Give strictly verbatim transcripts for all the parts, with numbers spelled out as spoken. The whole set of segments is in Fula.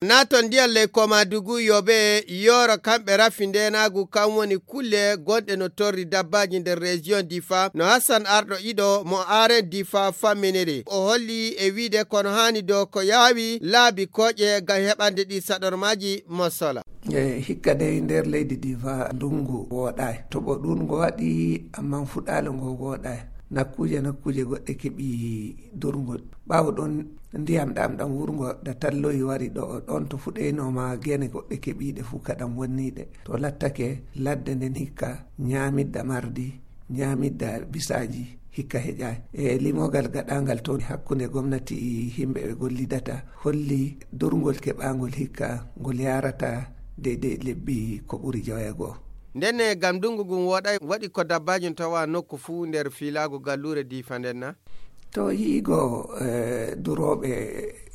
Naaton ndiyam ley Komadugu, Yobe, Yooro, kamɓe rafi ndeenaagu, kam woni kulle gonɗe no torri dabbaaji nder région Difa, no Hassan Arɗo Ido mo Aren Difa famminiri. O holli e wiide kono haani do ko yaawi laabi kooƴe ngam heɓande ɗi saɗormaaji mosola. E hikka dey nder leydi Difa ndungu wooɗaay. Toɓo ɗuuɗngo waɗi, ammaa fuɗaale ngo wooɗaay. Nakkuuje, nakkuuje goɗɗe keɓi durngol. Ɓaawo ɗon, ndiyam ɗam ɗam wurngo da talloyi wari ɗo, ɗon to fuɗeyno ma gene goɗɗe keɓiiɗe fuu kaɗam wonniiɗe. To lattake ladde nden hikka nyaamidda mardi, nyaamidda bisaaji hikka heƴaay. E limogal gaɗangal to hakkunde gomnati e himɓe ɓe gollidata holli durngol keɓangol hikka ngol yarata deydey lebbi ko ɓuri joweego. Ndenne gam ndungu ngun wooɗay, waɗi ko dabbaaji no tawa nokku fuu nder fiilaagu galluure Difa nden na? To yi'igo, eh, durooɓe,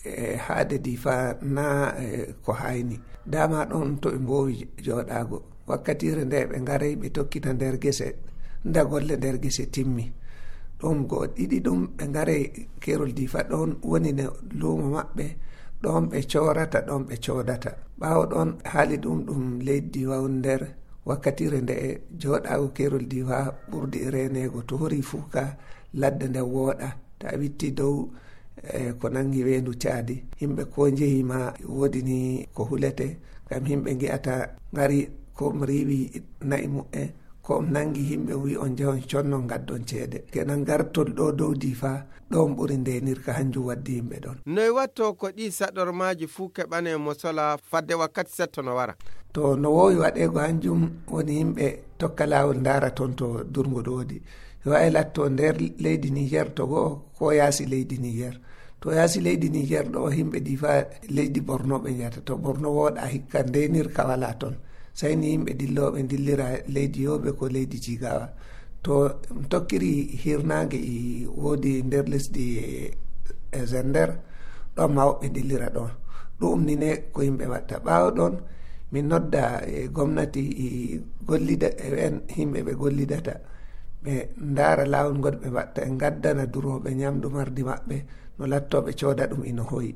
eh, haade Difa na, eh, ko hayni. Dama ɗon to ɓe mboowi jooɗaago. Wakkatiire nde ɓe ngarey ɓe tokkita nder gese, nda golle nder gese timmi. Ɗum go ɗiɗi ɗum ɓe ngarey Keerol Difa ɗon woni ne luumo maɓɓe, ɗon ɓe coorata, ɗon ɓe coodata. Ɓaawo ɗon haali ɗum ɗum leydi Wawun nder wakkatiire nde e jooɗaago Keerol Difa ɓurdi e reeneego to hori fuu ka ladde nde wooɗa. Ta witti dow, eh, ko nangi weendu caadi. Yimɓe ko njehi ma woodi ni ko hulete, ngam yimɓe ngi'ata ngari ko riiwi na'i mu'en, ko nangi yimɓe wi on njehon connon ngaddon ceede. Kenan gartol ɗo dow Difa, ɗon ɓuri ndenirka hanjum waddi yimɓe ɗon. Noy watto ko ɗi saɗormaaji fuu keɓane mo sola fadde wakkati setto no wara? To no woowi waɗeego hanjum woni yimɓe tokka laawol ndaara ton to durngol woodi. Yo ay latto nder leydi Niger to go'o ko yaasi leydi Niger. To yaasi leydi Niger ɗo yimɓe Difa leydi Borno ɓe njata. To Borno wooɗa hikka ndenirka wala ton. Sai ni yimɓe dillooɓe dillira leydi Yobe ko leydi Jigawa. To tokkiri hirnaange e woodi nder lesdi e Zender, ɗon ma woɓɓe dillira ɗon. Ɗum ni ne ko yimɓe watta. Ɓaawo ɗon, min nodda e gomnati e gollida, e en yimɓe ɓe gollidata. Ɓe ndaara laawol ngol ɓe watta, e ngaddana durooɓe nyamdu mardi maɓɓe, no lattooɓe cooda ɗum ino hoyi.